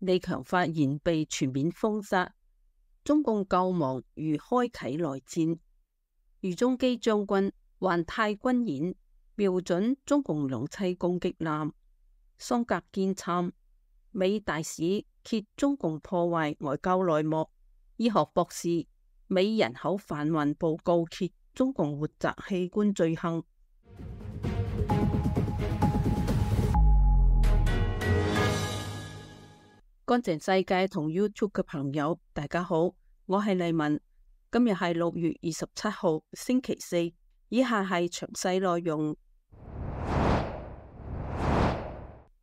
李強發言被全面封殺，中共救亡如開啟內戰。俞中基將軍環太軍演，瞄準中共兩棲攻擊艦。桑格堅參，美大使揭中共破壞外交內幕。醫學博士，美人口販運報告揭中共活摘器官罪行。乾淨世界同 YouTube 嘅朋友，大家好，我係麗文。今日係6月27號，星期四。以下係詳細內容。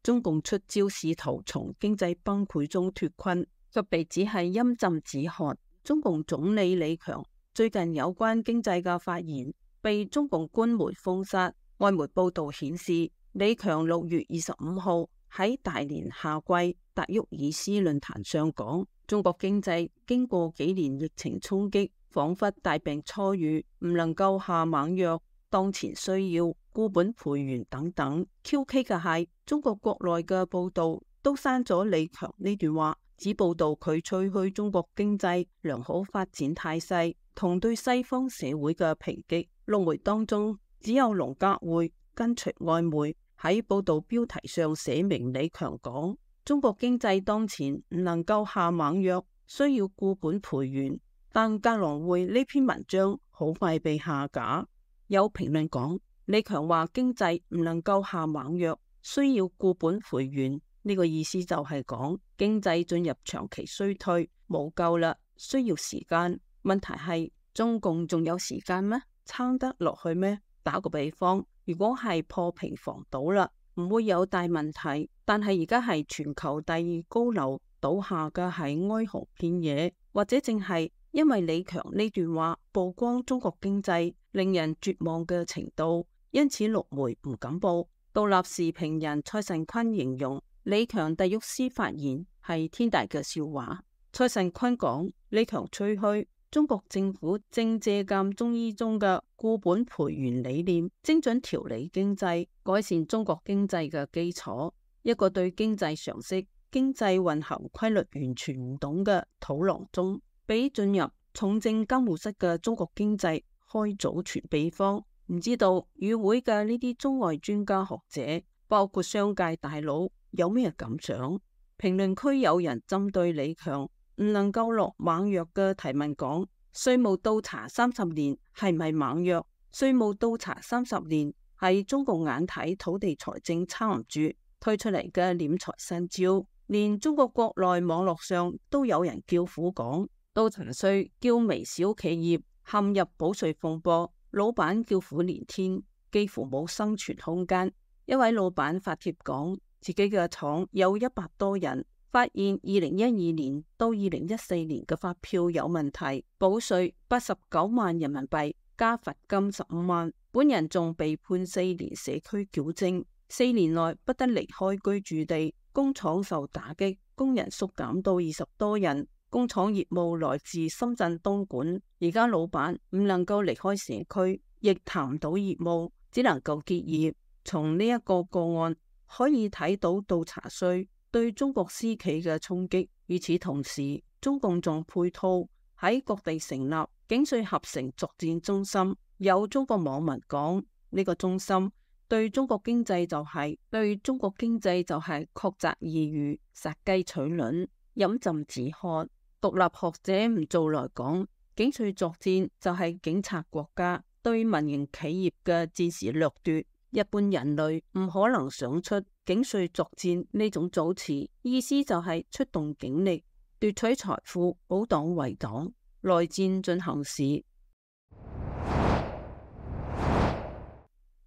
中共出招試圖從經濟崩潰中脫困，卻被指係陰浸止渴。中共總理李強最近有關經濟嘅發言被中共官媒封殺。外媒報道顯示，李強6月25號喺大連夏季達沃爾斯論壇上講，中國經濟經過幾年疫情衝擊，仿佛大病初愈，唔能夠下猛藥，當前需要固本培元等等。QK 嘅係中國國內嘅報道都刪咗李強呢段話，只報道佢吹噓中國經濟良好發展態勢同對西方社會嘅抨擊。陸媒當中只有龍格會跟隨外媒喺報道標題上寫明李強講，中國經濟當前唔能夠下猛藥，需要固本培元。但格朗會呢篇文章好快被下架。有評論講，李強話經濟唔能夠下猛藥，需要固本培元，呢個意思就係講經濟進入長期衰退，冇救啦，需要時間。問題係中共仲有時間咩？撐得落去咩？打個比方，如果係破平房倒啦，唔會有大問題。但係而家係全球第2高樓倒下嘅係哀鴻遍野，或者淨係因為李強呢段話曝光中國經濟令人絕望嘅程度，因此陸媒唔敢報。獨立時評人蔡慎坤形容李強達沃斯發言係天大嘅笑話。蔡慎坤講，李強吹噓中國政府正借鑒中醫中嘅固本培元理念，精準調理經濟，改善中國經濟嘅基礎。一個對經濟常識、經濟運行規律完全唔懂嘅土郎中，比進入重症監護室嘅中國經濟開祖傳秘方。唔知道與會嘅呢啲中外專家學者，包括商界大佬，有咩感想？評論區有人針對李強唔能夠落猛藥嘅提問講，稅務倒查30年係咪猛藥？稅務倒查30年係中共眼睇土地財政撐唔住推出嚟嘅斂財新招，連中國國內網絡上都有人叫苦講，倒查稅叫微小企業陷入補稅風波，老闆叫苦連天，幾乎冇生存空間。一位老闆發帖講，自己嘅廠有100多人，發現2012年到2014年嘅發票有問題，補稅89萬人民幣加罰金15萬，本人仲被判4年社區矯正，4年內不得離開居住地，工廠受打擊，工人縮減到20多人，工廠業務來自深圳、東莞，而家老闆唔能夠離開社區，亦談唔到業務，只能夠結業。從呢一個個案可以睇到倒查稅對中國私企嘅衝擊。與此同時，中共仲配套喺各地成立境稅合成作戰中心。有中國網民講，呢個中心對中國經濟就係曲澤異魚，殺雞取卵，飲鴆止渴。獨立學者唔做來講，境稅作戰就係警察國家對民營企業嘅戰時掠奪。一般人類唔可能想出境稅作戰呢種組詞，意思就係出動警力奪取財富，保黨為黨。內戰進行時，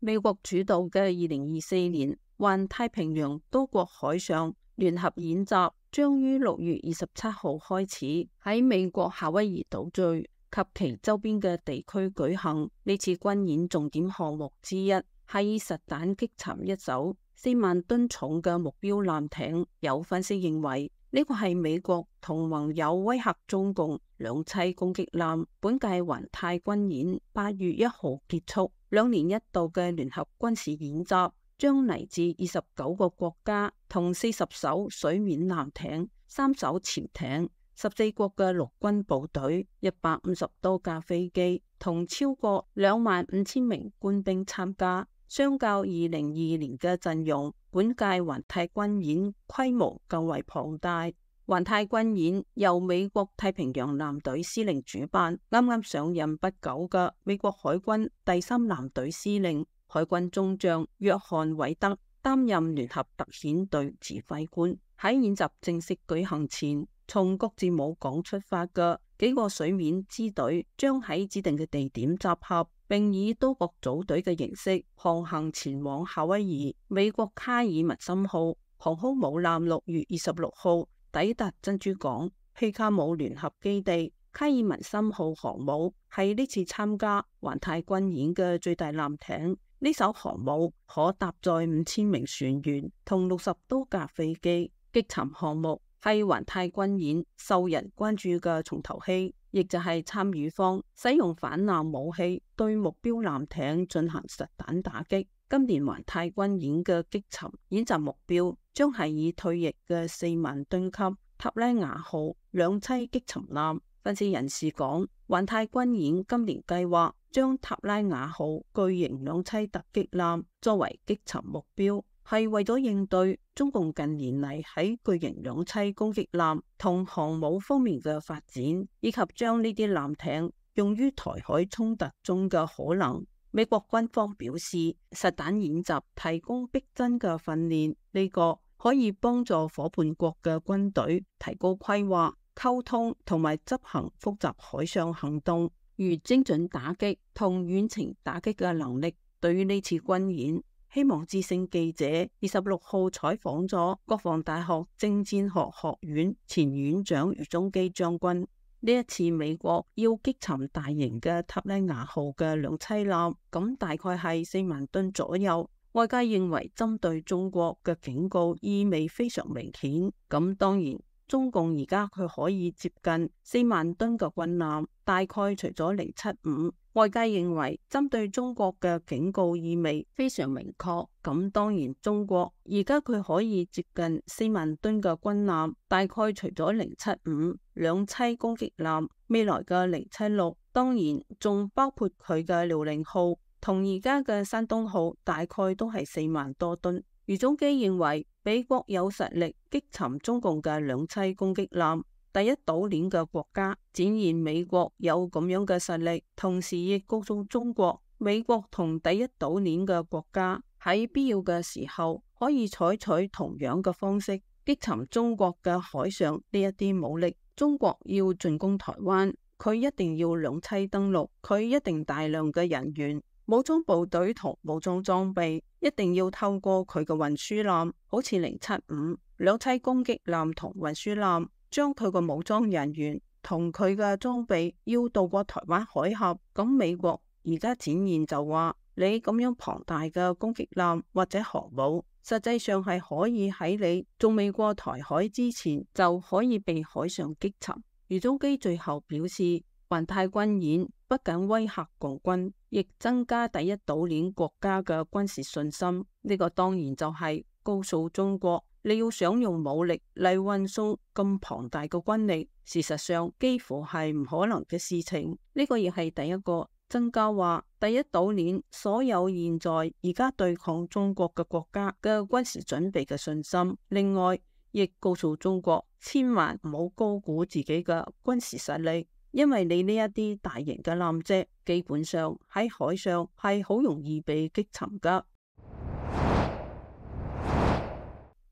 美國主導嘅2024年環太平洋多國海上聯合演習將於6月27號開始喺美國夏威夷島嶼及其周邊嘅地區舉行。呢次軍演重點項目之一係以實彈擊沉一艘4萬噸重嘅目標艦艇。有分析認為，呢個係美國同盟友威嚇中共兩棲攻擊艦。本屆環太軍演8月1號結束，2年一度嘅聯合軍事演習將嚟自29個國家同40艘水面艦艇、3艘潛艇、14國嘅陸軍部隊、150多架飛機同超過25,000名官兵參加。相較2022年嘅陣容，本屆環太軍演規模更為龐大。環太軍演由美國太平洋艦隊司令主辦，啱啱上任不久嘅美國海軍第3艦隊司令海軍中將約翰韋德擔任聯合特遣隊指揮官。喺演習正式舉行前，從各自母港出發嘅幾個水面支隊將喺指定嘅地點集合，並以多國組隊嘅形式航行前往夏威夷。美國卡爾文森號航空母艦6月26號抵達珍珠港皮卡姆聯合基地。卡爾文森號航母係呢次參加環太軍演嘅最大艦艇。呢艘航母可搭載5000名船員同60多架飛機。擊沉項目係環太軍演受人關注嘅重頭戲，亦就係參與方使用反艦武器對目標艦艇進行實彈打擊。今年環太軍演嘅擊沉演習目標將係以退役嘅4萬噸級塔拉雅號兩棲擊沉艦。分析人士講，環太軍演今年計劃將塔拉雅號巨型兩棲突擊艦作為擊沉目標，係為咗應對中共近年嚟喺巨型兩棲攻擊艦同航母方面嘅發展，以及將呢啲艦艇用於台海衝突中嘅可能。美國軍方表示，實彈演習提供逼真嘅訓練，呢個可以幫助夥伴國嘅軍隊提高規劃、溝通同埋執行複雜海上行動，如精準打擊同遠程打擊嘅能力。對於呢次軍演，希望之聲記者26號採訪咗國防大學政戰學學院前院長余宗基將軍。呢一次美國要擊沉大型嘅塔拉雅號嘅兩棲艦，咁大概係4萬噸左右。外界認為針對中國嘅警告意味非常明顯。咁當然，中共而家佢可以接近4萬噸嘅軍艦，大概除咗075。外界認為針對中國嘅警告意味非常明確。咁當然，中國而家佢可以接近4萬噸嘅軍艦，大概除咗075兩棲攻擊艦，未來嘅076，當然仲包括佢嘅遼寧號同而家嘅山東號，大概都係4萬多噸。余宗基認為美國有實力擊沉中共嘅兩棲攻擊艦，第一島鏈嘅國家展現美國有咁樣嘅實力，同時亦告訴中國，美國同第一島鏈嘅國家喺必要嘅時候可以採取同樣嘅方式擊沉中國嘅海上呢一啲武力。中國要進攻台灣，佢一定要兩棲登陸，佢一定大量嘅人員、武裝部隊同武裝裝備，一定要透過佢嘅運輸艦，好似075兩棲攻擊艦同運輸艦，將佢嘅武裝人員同佢嘅裝備要渡過台灣海峽。咁美國而家展現就話，你咁樣龐大嘅攻擊艦或者航母，實際上係可以喺你仲未過台海之前就可以被海上擊沉。余宗基最後表示，環太軍演不僅威嚇共軍，亦增加第一島鏈國家嘅軍事信心。呢個當然就係告訴中國，你要想用武力嚟運送咁龐大嘅軍力，事實上幾乎係唔可能嘅事情。呢個亦係第一個增加話第一島鏈所有現在而家對抗中國嘅國家嘅軍事準備嘅信心。另外，亦告訴中國千萬唔好高估自己嘅軍事實力，因為你呢一啲大型嘅艦隻基本上喺海上係好容易被擊沉噶。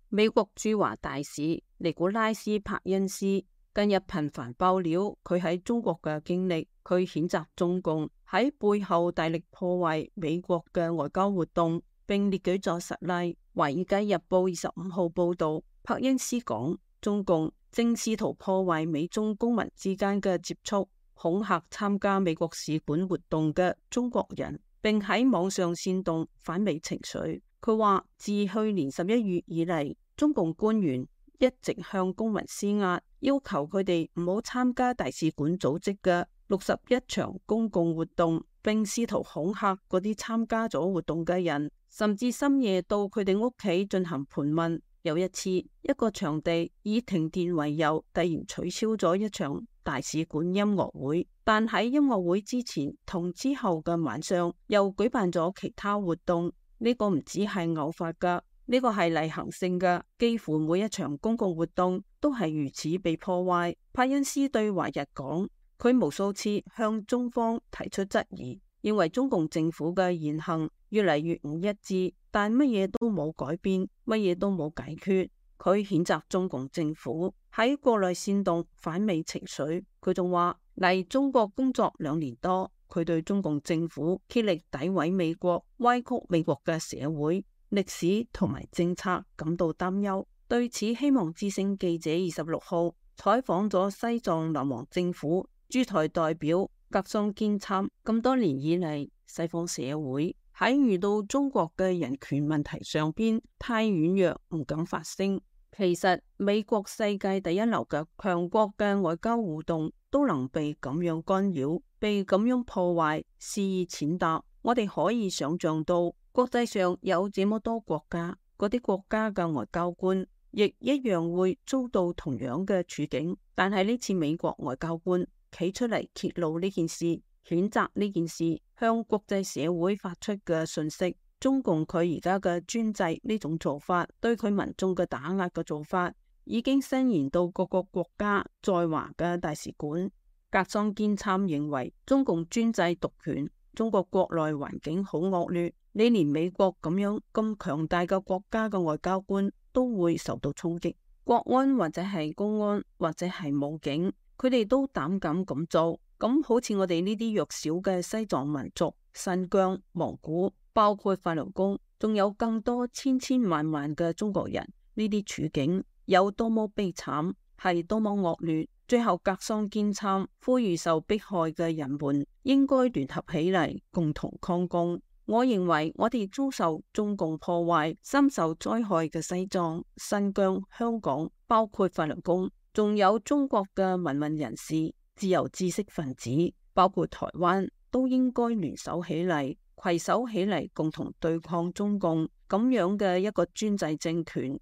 美國駐華大使尼古拉斯·柏恩斯近日頻繁爆料佢喺中國嘅經歷，佢譴責中共喺背後大力破壞美國嘅外交活動，並列舉咗實例。華爾街日報25號報道，柏恩斯講，中共正試圖破壞美中公民之間嘅接觸，恐嚇參加美國使館活動嘅中國人，並喺網上煽動反美情緒。佢話，自去年11月以嚟，中共官員一直向公民施壓，要求佢哋唔好參加大使館組織嘅61場公共活動，並試圖恐嚇嗰啲參加咗活動嘅人，甚至深夜到佢哋屋企進行盤問。有一次，一個場地以停電為由，突然取消咗一場大使館音樂會，但喺音樂會之前同之後嘅晚上又舉辦咗其他活動。呢個唔止係偶發噶，呢個係例行性嘅，幾乎每一場公共活動都係如此被破壞。帕恩斯對華日講，佢無數次向中方提出質疑，認為中共政府嘅言行越嚟越唔一致，但乜嘢都冇改變，乜嘢都冇解決。佢譴責中共政府喺國內煽動反美情緒。佢仲話嚟中國工作2年多，佢對中共政府竭力詆毀美國、歪曲美國嘅社會、歷史同埋政策感到擔憂。對此，希望之聲記者26號採訪咗西藏流亡政府駐台代表格桑堅參。咁多年以嚟，西方社會喺遇到中國嘅人權問題上邊太軟弱，唔敢發聲。其實美國世界第一流嘅強國嘅外交互動都能被咁樣干擾，被咁樣破壞，肆意踐踏。我哋可以想象到，國際上有這麼多國家，嗰啲國家嘅外交官亦一樣會遭到同樣嘅處境。但係呢次美國外交官企出嚟揭露呢件事，譴責呢件事，向國際社會發出嘅訊息，中共佢而家嘅專制呢種做法，對佢民眾嘅打壓嘅做法，已經伸延到各個國家在華嘅大使館。格桑堅參認為，中共專制獨權，中國國內環境好惡劣，你連美國咁樣咁強大嘅國家嘅外交官都會受到衝擊，國安或者係公安或者係武警，佢哋都膽敢咁做。咁好似我哋呢啲弱小嘅西藏民族、新疆、蒙古，包括法輪功，仲有更多千千萬萬嘅中國人，呢啲處境有多麼悲慘，係多麼惡劣。最後格桑堅參呼籲受迫害嘅人們應該聯合起嚟，共同抗共。我認為我哋遭受中共破壞、深受災害嘅西藏、新疆、香港，包括法輪功，仲有中國嘅民運人士、自由知識分子，包括台灣，都應該聯手起嚟，攜手起嚟，共同對抗中共咁樣嘅一個專制政權。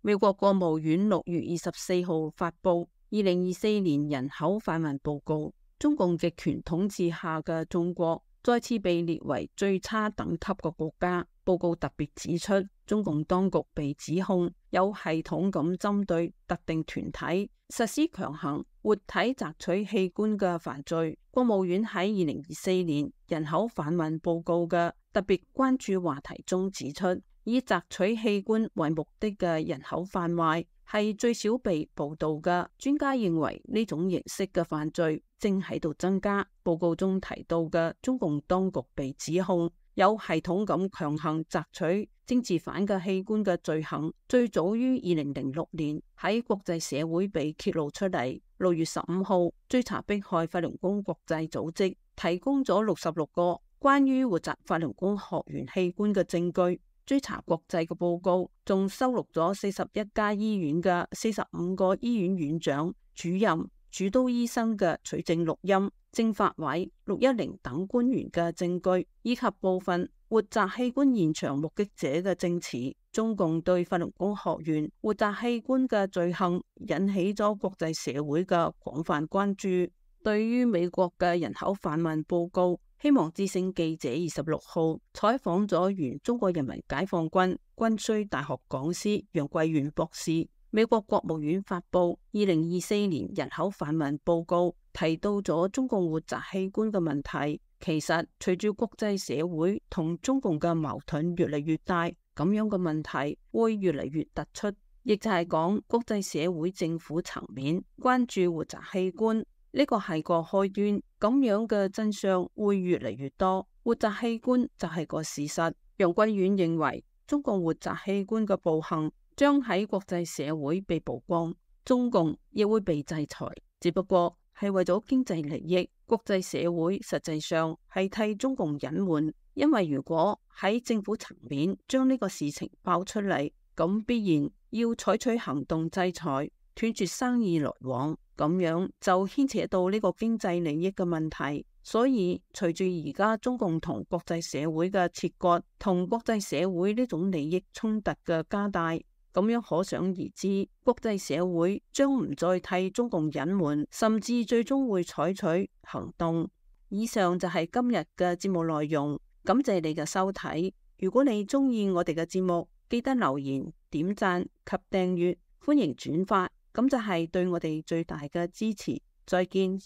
美國國務院6月24號發布2024年人口販運報告，中共極權統治下嘅中國再次被列為最差等級嘅國家。報告特別指出，中共當局被指控有系統咁針對特定團體實施強行活體摘取器官嘅犯罪。國務院喺2024年人口販運報告嘅特別關注話題中指出，以摘取器官為目的嘅人口販賣係最少被報道嘅。專家認為呢種形式嘅犯罪正喺度增加。報告中提到嘅中共當局被指控有系統咁強行摘取政治犯嘅器官嘅罪行，最早於2006年喺國際社會被揭露出嚟。6月15號，追查迫害法輪功國際組織提供咗66個關於活摘法輪功學員器官嘅證據。追查國際嘅報告仲收錄咗41家醫院嘅45個醫院院長、主任、主刀醫生嘅取證錄音、政法委、610等官員嘅證據，以及部分活摘器官現場目擊者嘅證詞。中共對法輪功學員活摘器官嘅罪行引起咗國際社會嘅廣泛關注。對於美國嘅人口販運報告，希望之聲記者26號採訪咗原中國人民解放軍軍需大學講師楊貴元博士。美國國務院發布2024年人口販運報告，提到咗中共活摘器官嘅問題。其實隨住國際社會同中共嘅矛盾越嚟越大，咁樣嘅問題會越嚟越突出，亦就係講國際社會政府層面關注活摘器官，呢個係個開端，咁樣嘅真相會越嚟越多。活摘器官就係個事實。楊貴遠認為，中共活摘器官嘅暴行將喺國際社會被曝光，中共亦會被制裁，只不過係為咗經濟利益。國際社會實際上係替中共隱瞞，因為如果喺政府層面將呢個事情爆出嚟，咁必然要採取行動制裁，斷絕生意來往，咁樣就牽扯到呢個經濟利益嘅問題。所以隨住而家中共同國際社會嘅切割，同國際社會呢種利益衝突嘅加大，咁樣可想而知，國際社會將唔再替中共隱瞞，甚至最終會採取行動。以上就係今日嘅節目內容，感謝你嘅收睇。如果你中意我哋嘅節目，記得留言、點讚及訂閱，歡迎轉發，咁就係對我哋最大嘅支持。再見。